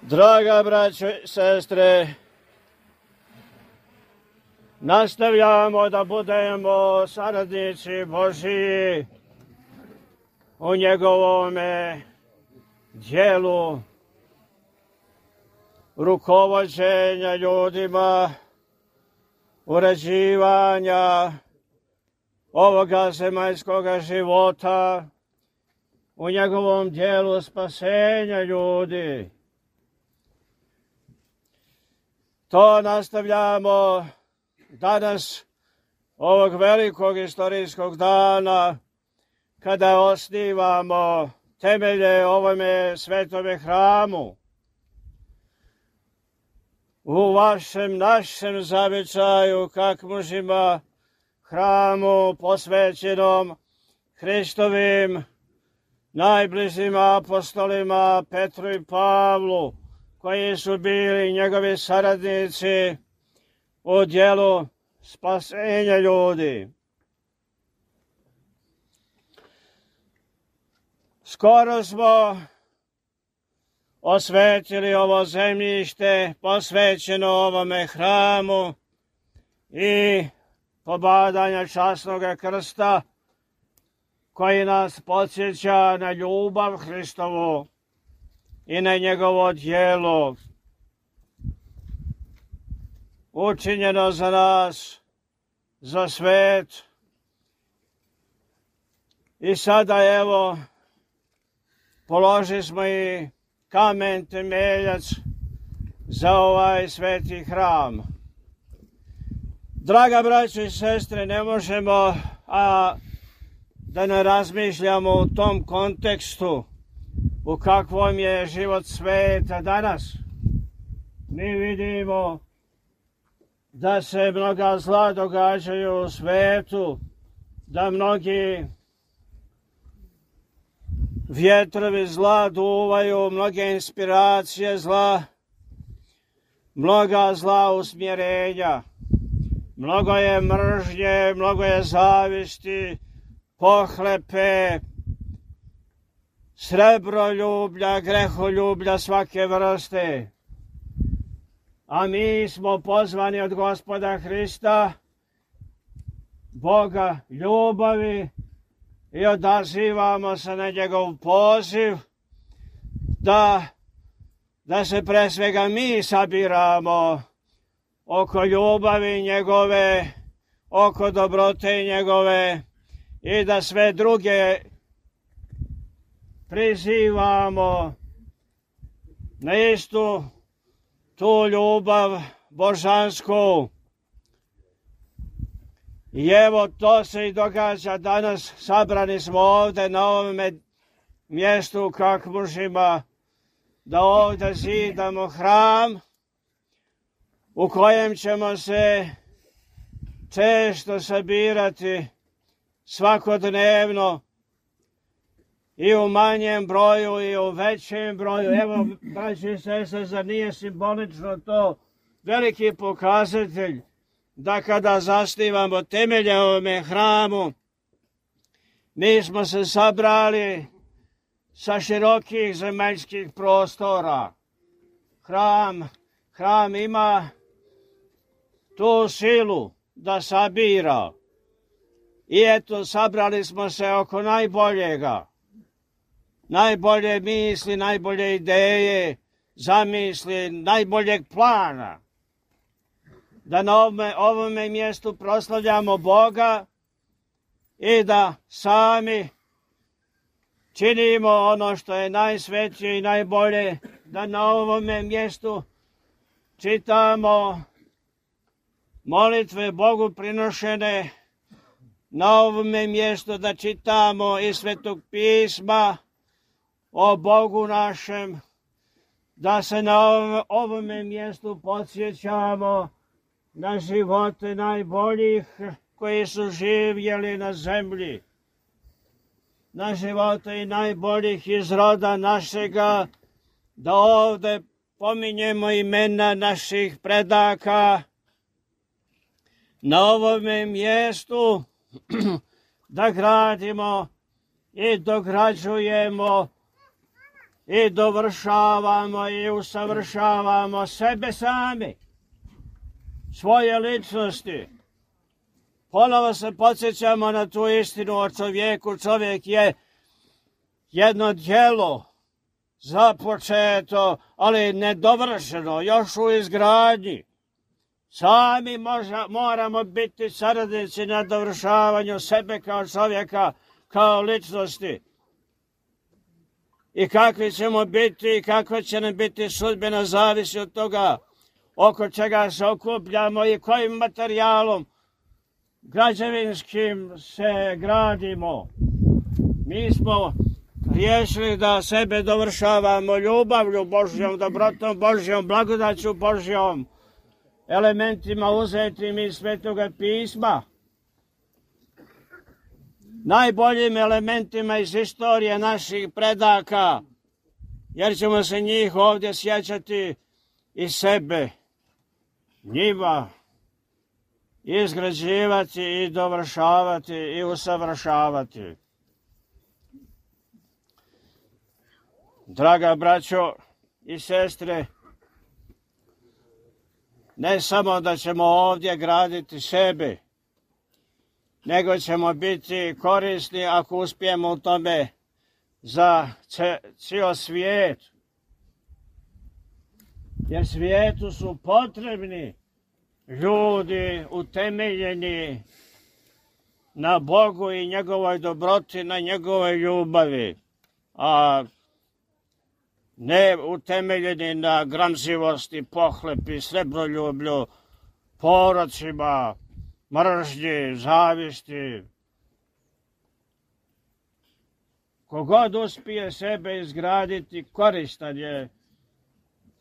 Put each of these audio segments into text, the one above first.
Draga braćo i sestre, nastavljamo da budemo saradnici Božiji u njegovome djelu rukovođenja ljudima, uređivanja ovoga zemaljskoga života, u njegovom djelu spasenja ljudi. To nastavljamo danas, ovog velikog istorijskog dana, kada osnivamo temelje ovome svetome hramu. U vašem, našem zavičaju, kak mužima, hramu posvećenom Hristovim najbližim apostolima Petru i Pavlu, koji su bili njegovi saradnici u djelu spasenja ljudi. Skoro smo osvetili ovo zemljište posvećeno ovome hramu i pobadanja časnog krsta, koji nas podsjeća na ljubav Hristovu i na njegovo djelo učinjeno za nas, za svet. I sada evo položili smo i kamen temeljac za ovaj sveti hram. Draga braćo i sestre, ne možemo da ne razmišljamo u tom kontekstu u kakvom je život sveta danas. Mi vidimo da se mnoga zla događaju u svetu, da mnogi vjetrovi zla duvaju, mnoge inspiracije zla, mnoga zla usmjerenja. Mnogo je mržnje, mnogo je zavisti, pohlepe, srebroljublja, greholjublja svake vrste. A mi smo pozvani od Gospoda Hrista, Boga ljubavi, i odazivamo se na njegov poziv da se pre svega mi sabiramo oko ljubavi njegove, oko dobrote njegove, i da sve druge prizivamo na istu tu ljubav božansku. I evo to se i događa danas. Sabrani smo ovdje na ovome mjestu kak mužima, da ovdje zidamo hram u kojem ćemo se često sabirati svakodnevno, i u manjem broju i u većem broju. Evo, braći i sestre, zar nije simbolično to veliki pokazatelj da kada zasnivamo temelje ovome hramu, mi smo se sabrali sa širokih zemaljskih prostora. Hram ima tu silu da sabira. I eto, sabrali smo se oko najboljega. Najbolje misli, najbolje ideje, zamisli, najboljeg plana. Da na ovome mjestu proslavljamo Boga i da sami činimo ono što je najsvetije i najbolje, da na ovome mjestu čitamo molitve Bogu prinošene, na ovome mjestu da čitamo iz Svetog pisma o Bogu našem, da se na ovome mjestu podsjećamo na živote najboljih koji su živjeli na zemlji, na živote i najboljih iz roda našega, da ovdje pominjemo imena naših predaka, na ovome mjestu da gradimo i dograđujemo i dovršavamo i usavršavamo sebe sami, svoje ličnosti. Ponovo se podsjećamo na tu istinu o čovjeku. Čovjek je jedno djelo započeto, ali nedovršeno, još u izgradnji. Sami moramo biti saradnici na dovršavanju sebe kao čovjeka, kao ličnosti. I kakvi ćemo biti i kakva će nam biti sudbina zavisi od toga oko čega se okupljamo i kojim materijalom građevinskim se gradimo. Mi smo riješili da sebe dovršavamo ljubavlju Božjom, dobrotom Božjom, blagodaću Božjom, elementima uzetim iz Svetoga pisma, najboljim elementima iz istorije naših predaka, jer ćemo se njih ovdje sjećati i sebe, njima izgrađivati i dovršavati i usavršavati. Draga braćo i sestre, ne samo da ćemo ovdje graditi sebe, nego ćemo biti korisni ako uspijemo u tome za cijel svijet. Jer svijetu su potrebni ljudi utemeljeni na Bogu i njegovoj dobroti, na njegovoj ljubavi, a ne utemeljeni na gramzivosti, pohlepi, srebroljublju, porocima, mržnji, zavisti. Kogod uspije sebe izgraditi, koristan je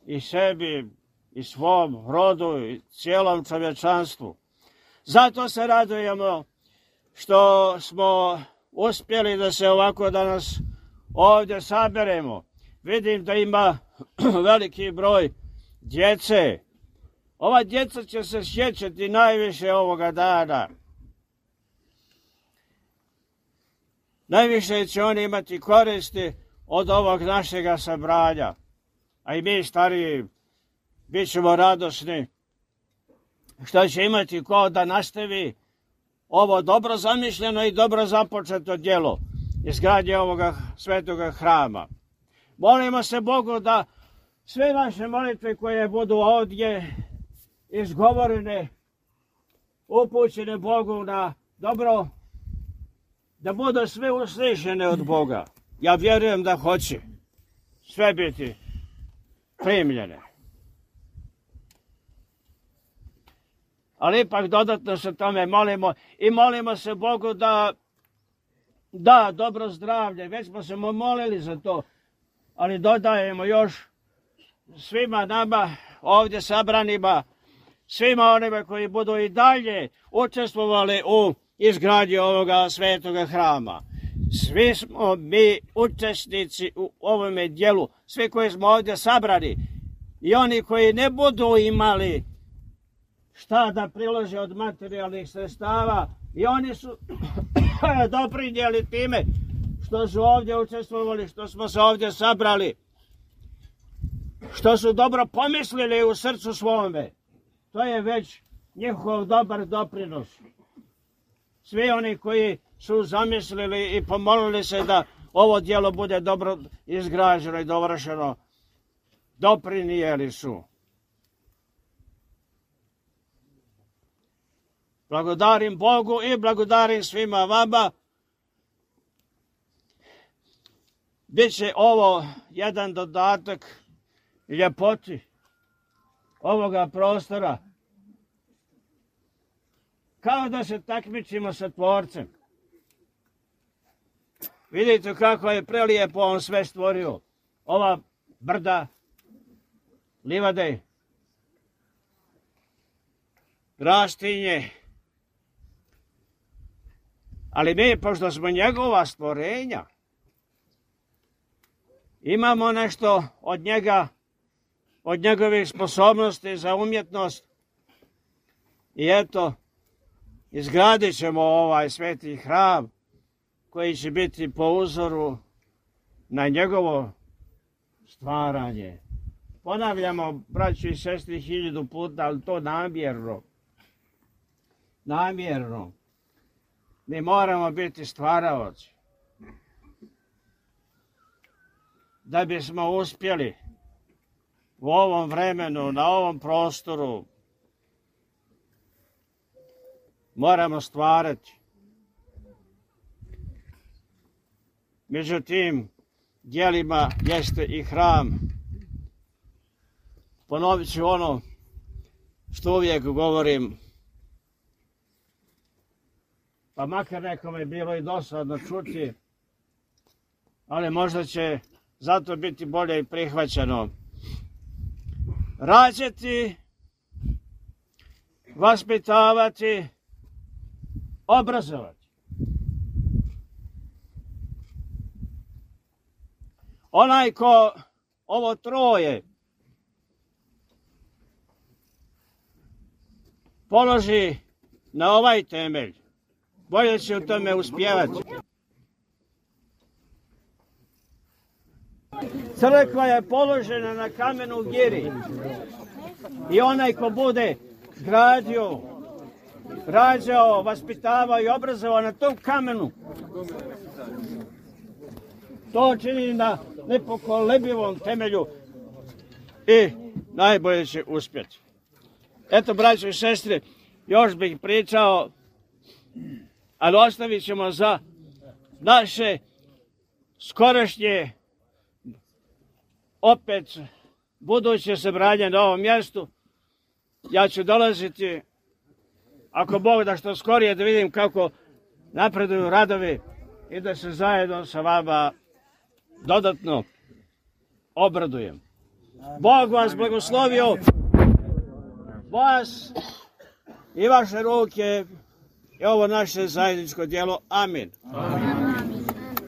i sebi, i svom rodu, i cijelom čovječanstvu. Zato se radujemo što smo uspjeli da se ovako danas ovdje saberemo. Vidim da ima veliki broj djece. Ova djeca će se sjećati najviše ovoga dana. Najviše će oni imati koristi od ovog našega sabranja. A i mi stariji bit ćemo radosni što će imati ko da nastavi ovo dobro zamišljeno i dobro započeto djelo izgradnje ovoga svetoga hrama. Molimo se Bogu da sve naše molitve koje budu ovdje izgovorene, upućene Bogu na dobro, da budu sve uslišene od Boga. Ja vjerujem da hoće sve biti primljene. Ali ipak dodatno se tome molimo i molimo se Bogu da da dobro zdravlje. Već smo se molili za to, ali dodajemo još svima nama ovdje sabranima, svima onima koji budu i dalje učestvovali u izgradnji ovoga svetoga hrama. Svi smo mi učesnici u ovome dijelu, svi koji smo ovdje sabrani i oni koji ne budu imali šta da prilože od materijalnih sredstava, i oni su doprinijeli time što su ovdje učestvovali, što smo se ovdje sabrali, što su dobro pomislili u srcu svome. To je već njihov dobar doprinos. Svi oni koji su zamislili i pomolili se da ovo djelo bude dobro izgrađeno i dovršeno, doprinijeli su. Blagodarim Bogu i blagodarim svima vama. Biće ovo jedan dodatak ljepoti ovoga prostora. Kao da se takmičimo sa Tvorcem. Vidite kako je prelijepo on sve stvorio. Ova brda, livade, rastinje. Ali mi, pošto smo njegova stvorenja, imamo nešto od njega, od njegovih sposobnosti za umjetnost. I eto, izgradit ćemo ovaj sveti hram koji će biti po uzoru na njegovo stvaranje. Ponavljamo, braći i sestri, 1000 puta, ali to namjerno. Namjerno. Mi moramo biti stvaraoci. Da bismo uspjeli u ovom vremenu, na ovom prostoru, moramo stvarati. Među tim djelima jeste i hram. Ponovit ću ono što uvijek govorim, pa makar nekome je bilo i dosadno čuti, ali možda će zato biti bolje i prihvaćeno. Rađati, vaspitavati, obrazovati. Onaj ko ovo troje položi na ovaj temelj, bolje će u tome uspjevati. Crkva je položena na kamenu giri i onaj ko bude gradio, rađao, vaspitavao i obrazovao na tom kamenu, to čini na nepokolebljivom temelju i najbolje će uspjeti. Eto, braćo i sestre, još bih pričao, ali ostavit ćemo za naše skorašnje, opet buduće sabranje na ovom mjestu. Ja ću dolaziti, ako Bog da, što skorije, da vidim kako napreduju radovi i da se zajedno sa vama dodatno obradujem. Bog vas blagoslovio, vas i vaše ruke i ovo naše zajedničko djelo. Amin. Amin.